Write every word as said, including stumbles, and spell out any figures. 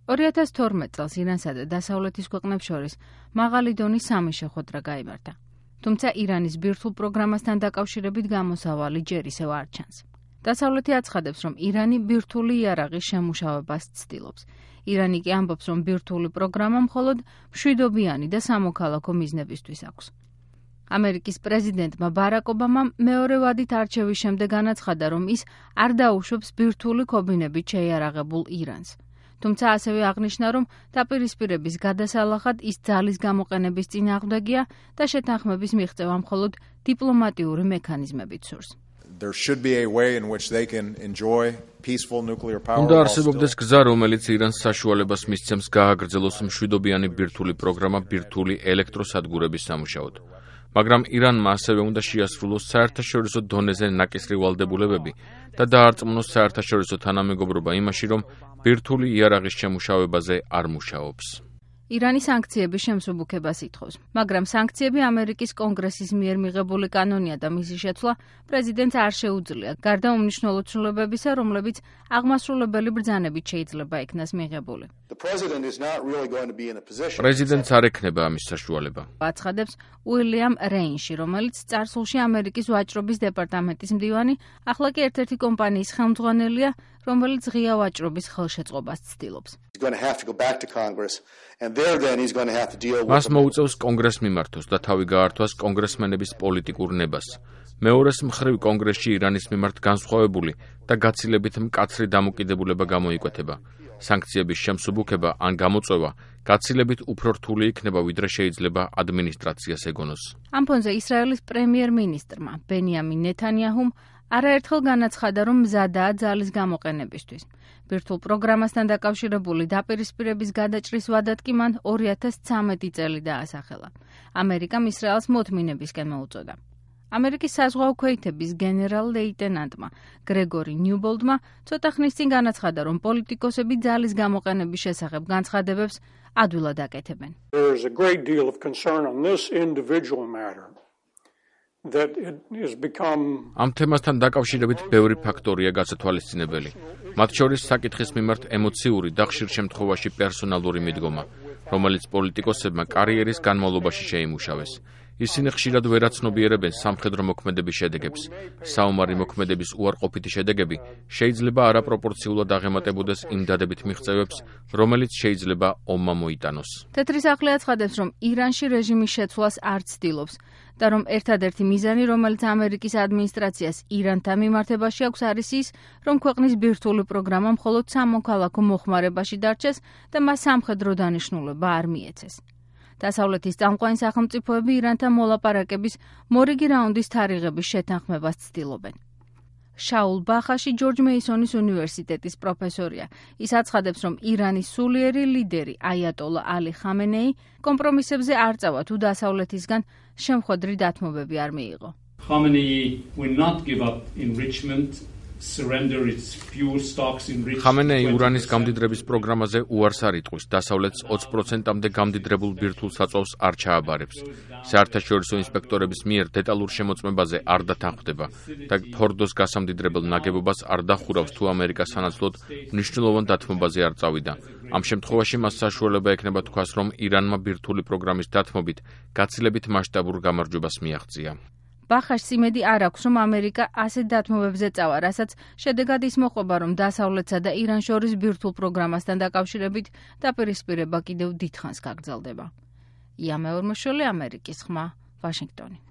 ორი ათას თორმეტ წელს ირანსა და დასავლეთის ქვეყნებს შორის მაღალი დონის სამი შეხვედრა გაიმართა. თუმცა ირანის ბირთვულ პროგრამასთან დაკავშირებით გამოსავალი ჯერ ისევ არ ჩანს. დასავლეთი აცხადებს, რომ ირანი ბირთვული იარაღის შემუშავებას ცდილობს. ირანი კი ამბობს, რომ ბირთვული პროგრამა მხოლოდ მშვიდობიანი და სამოქალაქო მიზნებისთვის აქვს. ამერიკის პრეზიდენტმა ბარაკ ობამამ მეორე ვადით არჩევის შემდეგ განაცხადა, რომ ის არ დაუშვებს ბირთვული ქობინებით შეიარაღებულ ირანს. თუმცა ასევე აღნიშნა, რომ დაპირისპირების გადასალახად ის ძალის გამოყენების წინააღმდეგია და შეთანხმების მიღწევა მხოლოდ დიპლომატიური მექანიზმებით სურს. უნდა არსებობდეს გზა, რომელიც ირანს საშუალებას მისცემს გააგრძელოს მშვიდობიანი ბირთვული პროგრამა ბირთვული ელექტროსადგურების სამუშაოდ. მაგრამ ირანმა ასევე უნდა შეასრულოს საერთაშორისო დონეზე ნაკისრი ვალდებულებები და დაარწმუნოს საერთაშორისო თანამეგობრობა იმაში, რომ ბირთვული იარაღის შემუშავებაზე არ მუშაობს. ირანი სანქციების შემსუბუქებას ითხოვს, მაგრამ სანქციები ამერიკის კონგრესის მიერ მიღებული კანონია და მისი შეცვლა პრეზიდენტს არ შეუძლია, გარდა უმნიშვნელო ცვლილებებისა, რომლებიც აღმასრულებელი ბრძანებით შეიძლება იქნას მიღებული. პრეზიდენტს არ ექნება ამის საშუალება. აცხადებს უილიამ რეინში, რომელიც წარსულში ამერიკის ვაჭრობის დეპარტამენტის მდივანი, ახლა კი ერთ-ერთი კომპანიის ხელმძღვანელია, რომელიც ღია ვაჭრობის ხელშეწყობას ცდილობს. მას მოუწევს კონგრესს მიმართოს და თავი გაართვას კონგრესმენების პოლიტიკურ ნებას. მეორეს მხრივ კონგრესში ირანის მიმართ განსხვავებული და გაცილებით მკაცრი დამოკიდებულება გამოიკვეთება. სანქციების შემსუბუქება ან გამოწვევა გაცილებით უფრო რთული იქნება, ვიდრე შეიძლება ადმინისტრაციას ეგონოს. ამ ფონზე ისრაელის პრემიერ-მინისტრმა ბენიამინ ნეთანიაჰუმ არაერთხელ განაცხადა, რომ მზადაა ძალის გამოყენებისთვის. ბირთვულ პროგრამასთან დაკავშირებული დაპირისპირების გადაჭრის ვადად კი მან ორი ათას ცხრამეტი წელი დაასახელა. ამერიკამ ისრაელს მოთმინებისკენ მოუწოდა. ამერიკის საზღვაო ქვეითების გენერალ-ლეიტენანტმა გრეგორი ნიუბოლდმა ცოტა ხნის წინ განაცხადა, რომ პოლიტიკოსები ძალის გამოყენების შესახებ განცხადებებს ადვილად აკეთებენ. ამ თემასთან დაკავშირებით ბევრი ფაქტორია გასათვალისწინებელი. მათ შორის საკითხის მიმართ ემოციური და ხშირ შემთხვევაში პერსონალური მიდგომა, რომელიც პოლიტიკოსებმა კარიერის განმავლობაში შეიმუშავეს. ისინი ხშირად ვერ აცნობიერებენ სამხედრო მოქმედების შედეგებს. საომარი მოქმედების უარყოფითი შედეგები შეიძლება არაპროპორციულად აღემატებოდეს იმ დადებით მიღწევებს, რომელიც შეიძლება ომმა მოიტანოს. თეთრი სახლი აცხადებს, რომ ირანში რეჟიმის შეცვლას არ ცდილობს და რომ ერთადერთი მიზანი, რომელიც ამერიკის ადმინისტრაციას ირანთან მიმართებაში აქვს, არის ის, რომ ქვეყნის ბირთვული პროგრამა მხოლოდ სამოქალაქო მოხმარებაში დარჩეს და მას სამხედრო დანიშნულება არ მიეცეს. დასავლეთის წამყვანი სახელმწიფოები ირანთან მოლაპარაკების მორიგი რაუნდის თარიღების შეთანხმებას ცდილობენ. შაულ ბახაში ჯორჯ მეისონის უნივერსიტეტის პროფესორია. ის აცხადებს, რომ ირანის სულიერი ლიდერი აიატოლა ალი ხამენეი კომპრომისებზე არ წავა, თუ დასავლეთისგან შემხვედრი დათმობები არ მიიღო. ხამენეი ურანის გამდიდრების პროგრამაზე უარს არ იტყვის, დასავლეთს ოცი პროცენტამდე გამდიდრებულ ბირთვულ საწვავს არ ჩააბარებს. საერთაშორისო ინსპექტორების მიერ დეტალურ შემოწმებაზე არ დათანხმდება და ფორდოს გასამდიდრებელ ნაგებობას არ დახურავს, თუ ამერიკა სანაცვლოდ მნიშვნელოვან დათმობაზე არ წავიდა. ამ შემთხვევაში მას საშუალება ექნება თქვას, რომ ირანმა ბირთვული პროგრამის დათმობით გაცილებით მასშტაბურ გამარჯვებას მიაღწია. ბახაშს იმედი არ აქვს, რომ ამერიკა ასეთ დათმობებზე წავა, რასაც შედეგად ის მოყვება, რომ დასავლეთსა და ირანს შორის ბირთვულ პროგრამასთან დაკავშირებით დაპირისპირება კიდევ დიდხანს გაგრძელდება. ია მეორმოშვილი, ამერიკის ხმა, ვაშინგტონი.